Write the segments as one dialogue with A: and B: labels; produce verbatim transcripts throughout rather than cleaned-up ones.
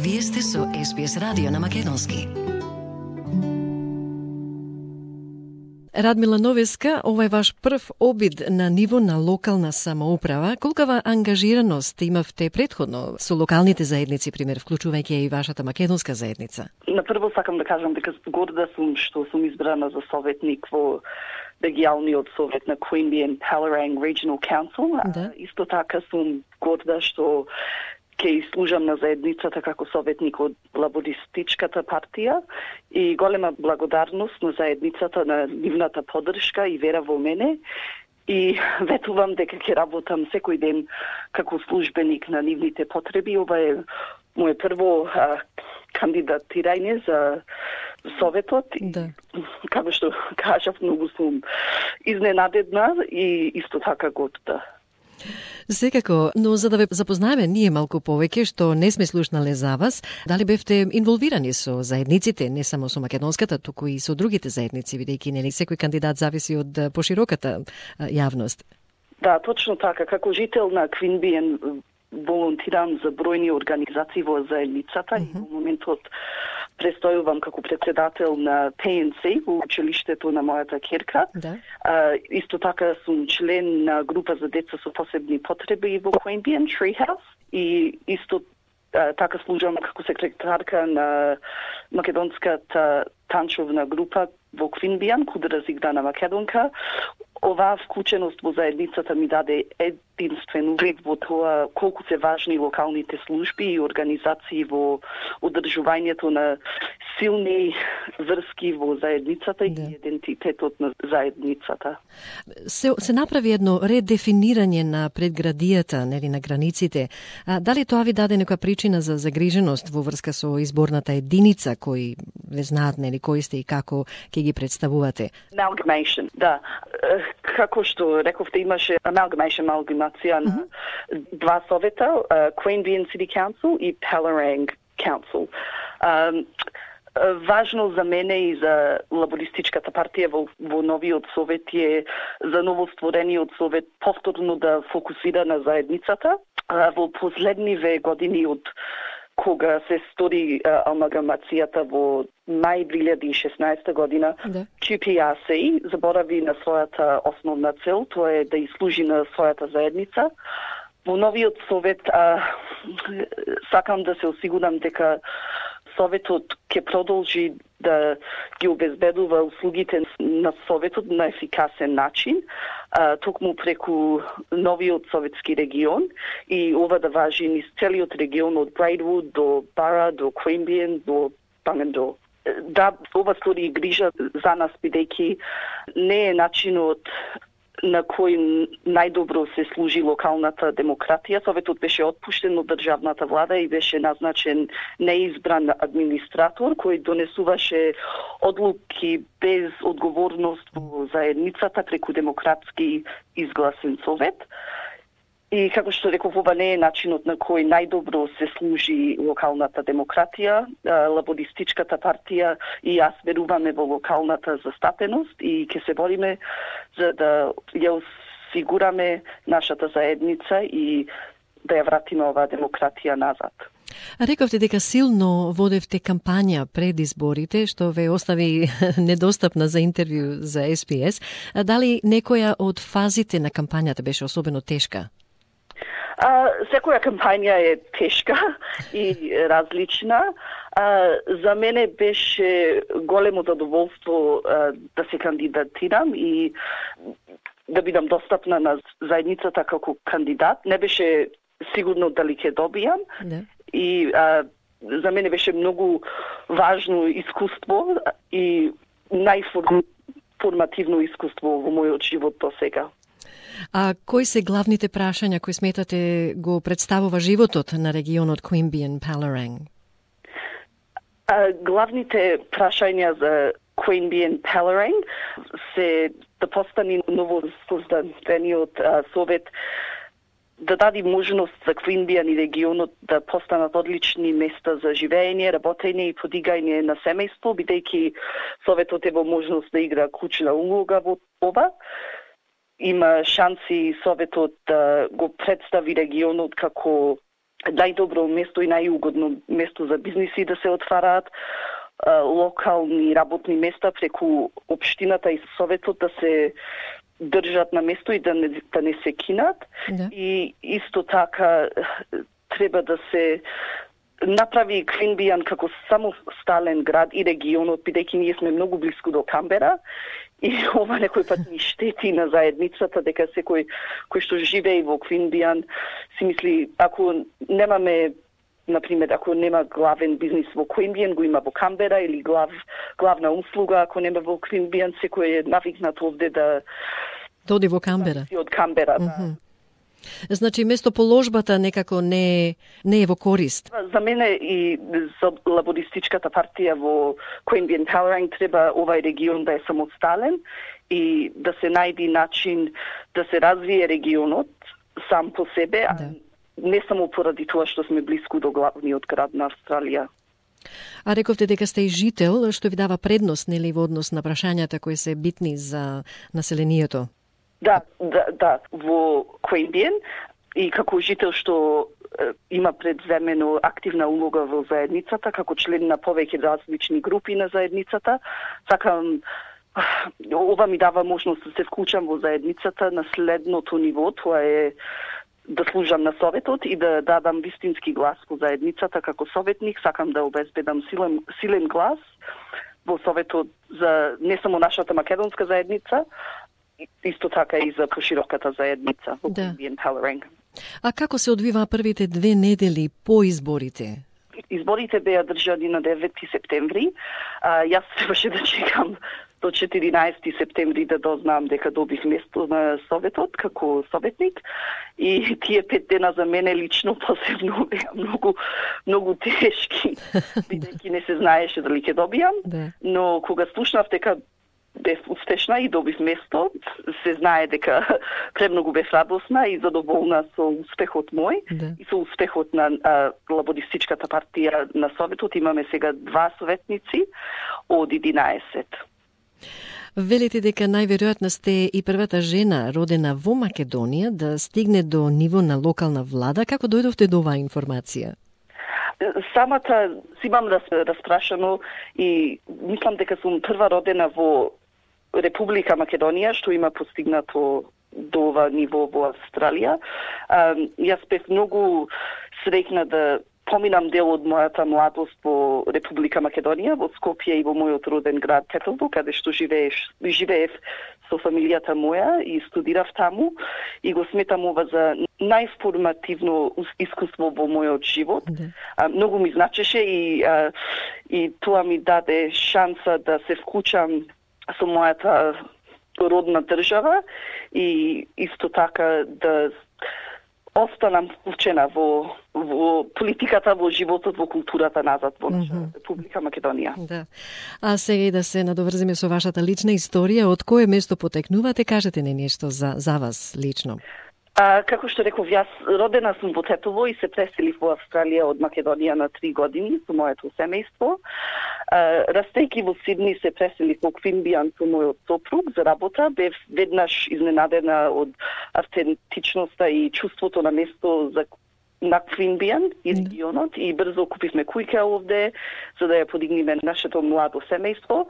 A: Вие сте со Ес Би Ес радио на македонски.
B: Радмила Новеска, ова е ваш прв обид на ниво на локална самоуправа. Колкава ангажираност имавте претходно со локалните заедници, пример, вклучувајќи и вашата македонска заедница?
C: На прво сакам да кажам дека горда сум што сум избрана за советник во регионалниот совет на Queanbeyan and Palerang Regional Council.
B: Да.
C: Исто така сум горда што ќе служам на заедницата како советник од Лабористичката партија и голема благодарност на заедницата на нивната поддршка и вера во мене и ветувам дека ќе работам секој ден како службеник на нивните потреби. Ова е моје прво а, кандидатирање за советот.
B: Да.
C: Како што кажав, многу сум изненадена и исто така горда.
B: Секако, но за да ве запознаеме ние малку повеќе, што не сме слушнале за вас, дали бевте инволвирани со заедниците, не само со македонската, туку и со другите заедници, бидејќи нели секој кандидат зависи од пошироката јавност?
C: Да, точно така. Како жител на Queanbeyan волонтирам за бројни организации во заедницата uh-huh. и во моментот престојувам како председател на Пи Ен Си во училиштето на мојата ќерка.
B: Да.
C: А, исто така сум член на група за деца со посебни потреби во Queanbeyan, Treehouse, и исто а, така служам како секретарка на македонската танчовна група во Queanbeyan, куда разиграна македонка. Оваа вклученост во заедницата ми даде единствен углед во тоа колку се важни локалните служби и организации во одржувањето на силни врски во заедницата да. и идентитетот на заедницата.
B: Се, се направи едно редефинирање на предградијата, нели, на границите. А, дали тоа ви даде нека причина за загриженост во врска со изборната единица, кои ве знаат, нели, кои сте и како ќе ги представувате?
C: Amalgamation, да. Како што рековте, имаше amalgamation, амалгамација на uh-huh. два совета, uh, Queanbeyan City Council и Palerang Council. Um, Важно за мене и за Лабористичката партија во, во новиот совет е за новостворениот совет повторно да фокусира на заедницата. Во последниве години од кога се стори амалгамацијата во мај две илјади и шеснаесета година, да. Кју Пи Ар Си заборави на својата основна цел, тоа е да изслужи на својата заедница. Во новиот совет а, сакам да се осигурам дека Советот ќе продолжи да ги обезбедува услугите на Советот на ефикасен начин, а, токму преку новиот советски регион и ова да важи низ целиот регион од Braidwood до Бара, до Queanbeyan, до Bungendore. Да, ова стори грижа за нас, бидејќи не е начинот на кој најдобро се служи локалната демократија. Советот беше отпуштен од државната влада и беше назначен неизбран администратор кој донесуваше одлуки без одговорност во заедницата преку демократски изгласен совет. И како што реков, ова не е начинот на кој најдобро се служи локалната демократија. Лабористичката партија и јас веруваме во локалната застапеност и ќе се бориме за да ја осигураме нашата заедница и да ја вратиме оваа демократија назад.
B: Рековте дека силно водевте кампања пред изборите, што ве остави недостапна за интервју за Ес Би Ес. Дали некоја од фазите на кампањата беше особено тешка?
C: А, секоја кампања е тешка и различна. А, за мене беше големо задоволство а, да се кандидатирам и да бидам достапна на заедницата како кандидат. Не беше сигурно дали ќе добијам. Не. И а, за мене беше многу важно искуство и најформативно искуство во мојот живот до сега.
B: А кои се главните прашања кои сметате го представува животот на регионот Queanbeyan Palerang?
C: А, главните прашања за Queanbeyan Palerang се да постане ново создадениот совет да даде можност за Queanbeyan и регионот да постанат одлични места за живење, работење и подигање на семејство, бидејќи советот е во можност да игра клучна улога во ова. Има шанси советот да го представи регионот како најдобро место и најугодно место за бизниси да се отвараат, локални работни места преку општината и советот да се држат на место и да не, да не се кинат.
B: Да.
C: И исто така треба да се направи Квинбијан како самостален град и регионот, бидејќи ние сме многу блиску до Камбера и ова некој пат ни штети на заедницата, дека секој кој што живее во Квинбијан си мисли, ако немаме, например, ако нема главен бизнис во Квинбијан, го има во Камбера, или глав, главна услуга, ако нема во Квинбијан, секој е навикнат овде да
B: доди во Камбера.
C: Од Камбера, да.
B: Mm-hmm. Значи, местоположбата некако не, не е во корист.
C: За мене и за лабористичката партија во Queanbeyan Powerang треба овај регион да е самостален и да се најди начин да се развие регионот сам по себе, да. А не само поради тоа што сме блиску до главниот град на Австралија.
B: А рековте дека сте и жител, што ви дава предност, нели, во однос на прашањата кои се битни за населението?
C: Да, да, да, во Queanbeyan и како жител што е, има предземено активна улога во заедницата, како член на повеќе различни групи на заедницата, сакам, ова ми дава можност да се вклучам во заедницата на следното ниво, тоа е да служам на советот и да дадам вистински глас во заедницата како советник. Сакам да обезбедам силен, силен глас во советот за не само нашата македонска заедница, исто така и за пошироката заедница во Queanbeyan Powerang.
B: А како се одвива првите две недели по изборите?
C: Изборите беа држани на девети септември. А, јас требаше да чекам до четиринаесети септември да дознам дека добив место на советот како советник. И тие пет дена за мене лично посебно беа многу, многу тешки, бидејќи не се знаеше дали ќе добијам.
B: Да.
C: Но кога слушнав дека бев успешна и добив место, се знае дека премногу бев радосна и задоволна со успехот мој,
B: да.
C: И со успехот на а, лабористичката партија на советот. Имаме сега два советници од единаесет.
B: Велите дека најверојатно сте и првата жена родена во Македонија да стигне до ниво на локална влада. Како дојдовте до оваа информација?
C: Самата си имам распрашано и мислам дека сум прва родена во Република Македонија што има постигнато до ова ниво во Австралија. А, јас бев многу среќна да поминам дел од мојата младост во Република Македонија, во Скопје и во мојот роден град Тетелбо, каде што живееш, живеев со фамилијата моја и студирав таму и го сметам ова за најформативно искуство во мојот живот.
B: Да.
C: А, многу ми значеше и, а, и тоа ми даде шанса да се вклучам со мојата родна држава и исто така да останам вклучена во, во политиката, во животот, во културата назад во наша mm-hmm. Република Македонија.
B: Да. А сега и да се надоврземе со вашата лична историја, од кое место потекнувате, кажете не нешто за, за вас лично.
C: А, како што реков, јас родена сум во Тетово и се преселив во Австралија од Македонија на три години со моето семејство. А, растејќи во Сидни се преселив во Queanbeyan со мојот сопруг за работа. Бев веднаш изненадена од автентичноста и чувството на место за на Queanbeyan и регионот и брзо купивме куќа овде за да ја подигнеме нашето младо семејство.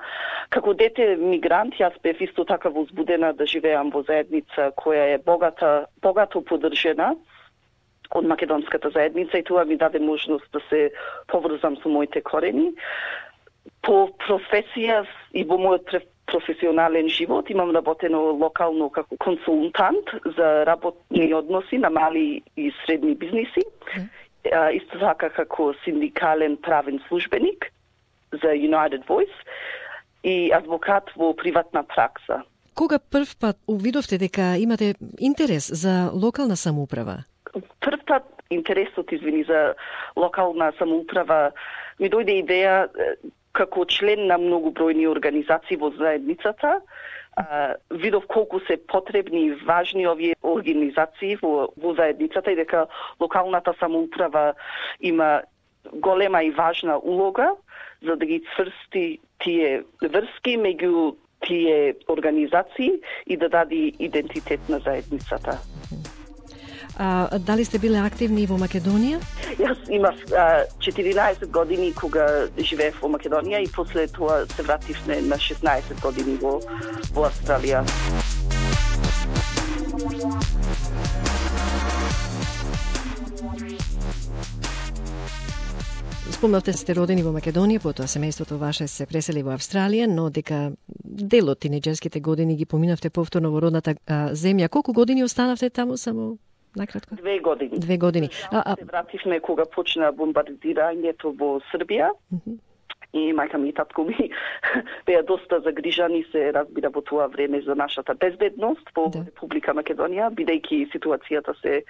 C: Како дете мигрант, јас бев исто така возбудена да живеам во заедница која е богата, богато поддржена од македонската заедница и тоа ми даде можност да се поврзам со моите корени. По професија и во мојот професионален живот имам работено локално како консултант за работни односи на мали и средни бизниси. Mm. Исто така како синдикален правен службеник за United Voice и адвокат во приватна пракса.
B: Кога прв пат увидовте дека имате интерес за локална самоуправа?
C: Прв пат интересот, извини, за локална самоуправа ми дојде идеја како член на многу бројни организации во заедницата. А, видов колку се потребни и важни овие организации во, во заедницата и дека локалната самоуправа има голема и важна улога за да ги цврсти тие врски меѓу тие организации и да даде идентитет на заедницата.
B: А дали сте биле активни во Македонија?
C: Јас имав а, четиринаесет години кога живеев во Македонија и после тоа се вратив на шеснаесет години во, во Австралија.
B: Спомнавте сте родени во Македонија, потоа семејството ваше се пресели во Австралија, но дека дел од тинеџерските години ги поминавте повторно во родната а, земја. Колку години останавте таму, само накратко?
C: Две години.
B: Две години.
C: А, а... Се вративме кога почна бомбардирањето во Србија. Mm-hmm. И мајка ми и татко ми беа доста загрижани, се разбира во тоа време за нашата безбедност во да. Република Македонија, бидејќи ситуацијата се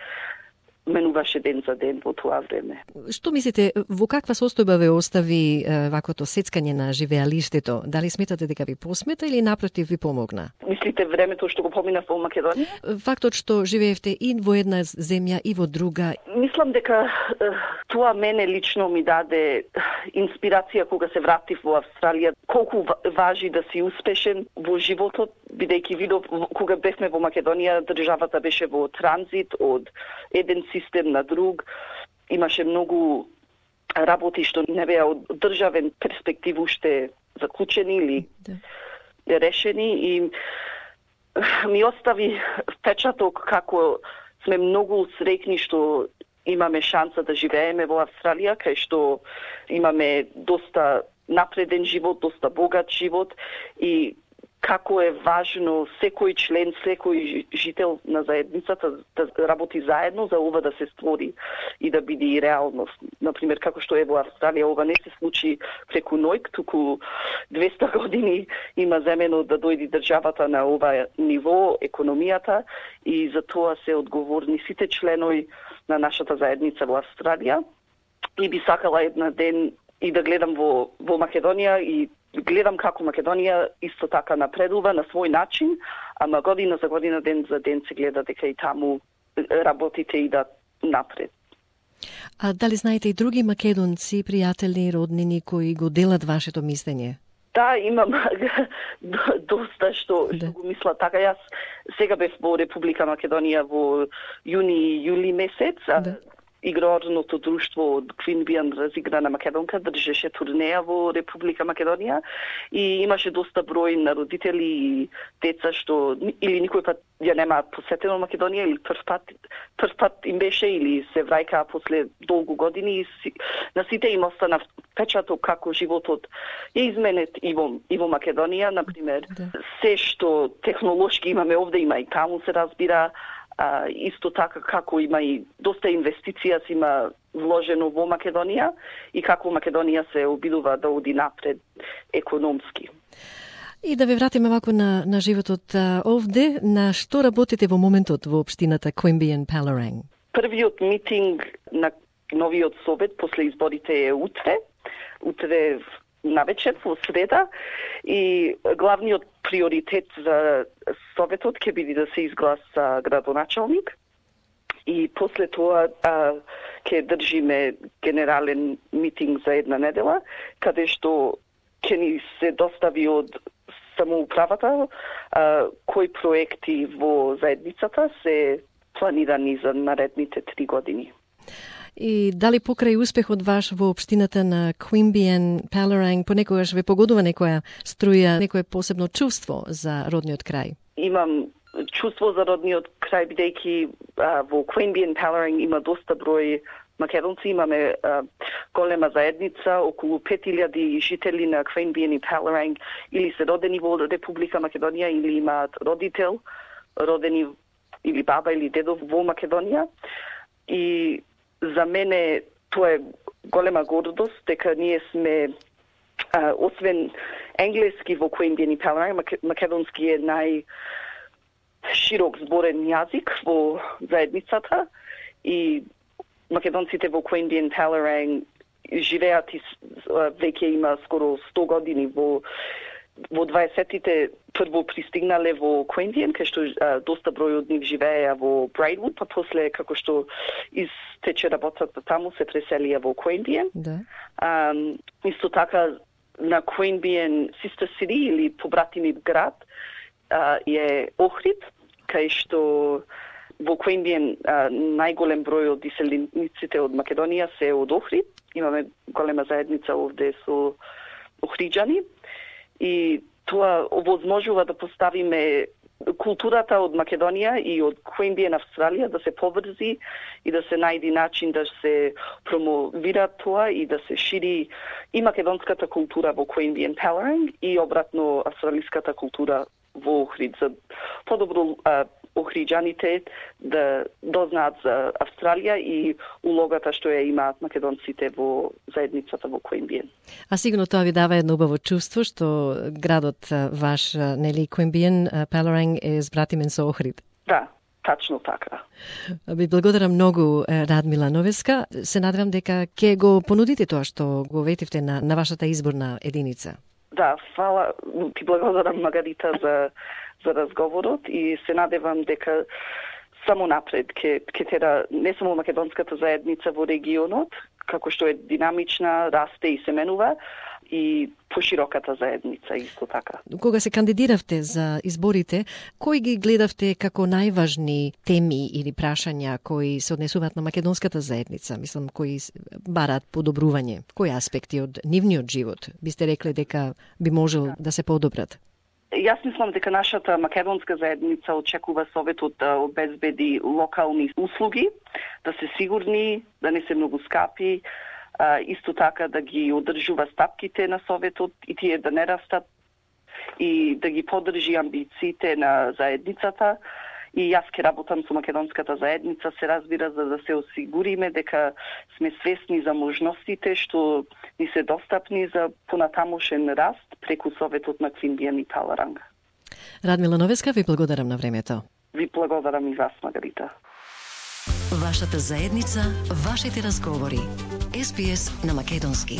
C: менуваше ден за ден во тоа време.
B: Што мислите, во каква состојба ве остави е, ваквото сецкање на живеалиштето? Дали сметате дека ви посмета или напротив ви помогна?
C: Мислите времето што го поминав во Македонија?
B: Фактот што живеевте и во една земја и во друга.
C: Мислам дека тоа мене лично ми даде инспирација кога се вратив во Австралија, колку важи да си успешен во животот, бидејќи видов кога бевме во Македонија, државата беше во транзит од еден систем на друг. Имаше многу работи што не беа од државен перспектив уште заклучени или да. решени и ми остави впечаток како сме многу среќни што имаме шанса да живееме во Австралија, кај што имаме доста напреден живот, доста богат живот и како е важно секој член, секој жител на заедницата да работи заедно за ова да се створи и да биде и реалност. Например, како што е во Австралија, ова не се случи преку ноќ, туку двеста години има земено да дојде државата на ова ниво, економијата, и за тоа се одговорни сите членови на нашата заедница во Австралија. И би сакала една ден и да гледам во, во Македонија и гледам како Македонија исто така напредува на свој начин, ама година за година, ден за ден се гледа дека и таму работите идат напред.
B: А дали знаете и други македонци, пријатели, роднини кои го делат вашето мислење?
C: Да, имам доста што, да. што го мислат така. Јас сега бев во Република Македонија во јуни и јули месец, да. Игрорното друштво од Queanbeyan разиграна македонка држеше турнеја во Република Македонија и имаше доста број на родители и деца што или никој пат ја нема посетено Македонија или прв пат, прв пат им беше или се враќаа после долгу години и си, на сите им остана впечаток како животот е изменет и во, и во Македонија, например, да. Се што технолошки имаме овде, има и таму се разбира. А, исто така како има и доста инвестиција си има вложено во Македонија и како Македонија се обидува да оди напред економски.
B: И да ве вратиме вако на, на животот а, овде, на што работите во моментот во општината Queanbeyan-Palorang?
C: Првиот митинг на новиот совет после изборите е утре. Утре навечер, во среда, и главниот приоритет за советот ќе биде да се изгласа градоначалник и после тоа а, ќе држиме генерален митинг за една недела, каде што ќе ни се достави од самоуправата а, кои проекти во заедницата се планирани за наредните три години.
B: И дали покрај успехот ваш во општината на Queanbeyan-Palorang понекогаш ве погодува некоја струја, некое посебно чувство за родниот крај?
C: Имам чувство за родниот крај, бидејќи во Queanbeyan-Palorang има доста број македонци, имаме а, голема заедница, околу пет илјади жители на Queanbeyan и Palorang или се родени во Република Македонија или имаат родител, родени или баба или дедо во Македонија. И за мене тоа е голема гордост дека ние сме а, освен енглески во Queanbeyan и Palorang, македонски е најширок зборен јазик во заедницата и македонците во Queanbeyan-Palorang живеат и веќе има скоро сто години во во дваесеттите прво пристигнале во Queanbeyan, кај што а, доста број од нив живееа во Braidwood, па после како што истече работата таму се преселија во Queanbeyan.
B: Да.
C: А, исто така на Queanbeyan Sister City или побратими град а, е Охрид, кај што во Queanbeyan најголем број од иселениците од Македонија се од Охрид. Имаме голема заедница овде со охриджани и тоа овозможува да поставиме културата од Македонија и од Queanbeyan Австралија да се поврзи и да се најди начин да се промовира тоа и да се шири и македонската култура во Queanbeyan Pellerang и обратно австралиската култура во Охрид, за подобро а, охриджаните да дознаат за Австралија и улогата што ја имаат македонците во заедницата во Queanbeyan.
B: А сигурно тоа ви дава едно убаво чувство што градот ваш, нели, Queanbeyan Pellerang е збратимен со Охрид.
C: Да, тачно така.
B: Ви благодарам многу, Радмила Новеска. Се надевам дека ќе го понудите тоа што го ветивте на, на вашата изборна единица.
C: Да, фала, ти благодарам, Магарита, за, за разговорот и се надевам дека само напред ќе ќе тера не само македонската заедница во регионот, како што е динамична, расте и се менува, и пошироката заедница исто така.
B: Кога се кандидиравте за изборите, кои ги гледавте како најважни теми или прашања кои се однесуваат на македонската заедница? Мислам, кои бараат подобрување? Кои аспекти од нивниот живот бисте рекле дека би можел да, да се подобрат?
C: Јас мислам дека нашата македонска заедница очекува Советот да обезбеди локални услуги, да се сигурни, да не се многу скапи, а, исто така да ги одржува стапките на Советот и тие да не растат и да ги поддржи амбициите на заедницата. И јас ќе работам со македонската заедница, се разбира, за да се осигуриме дека сме свесни за можностите што ни се достапни за понатамошен раст преку Советот на Queanbeyan и Pellerang.
B: Радмила Новеска, ви благодарам на времето.
C: Ви благодарам и вас, Магарита.
A: Вашата заедница, вашите разговори. Ес Би Ес на македонски.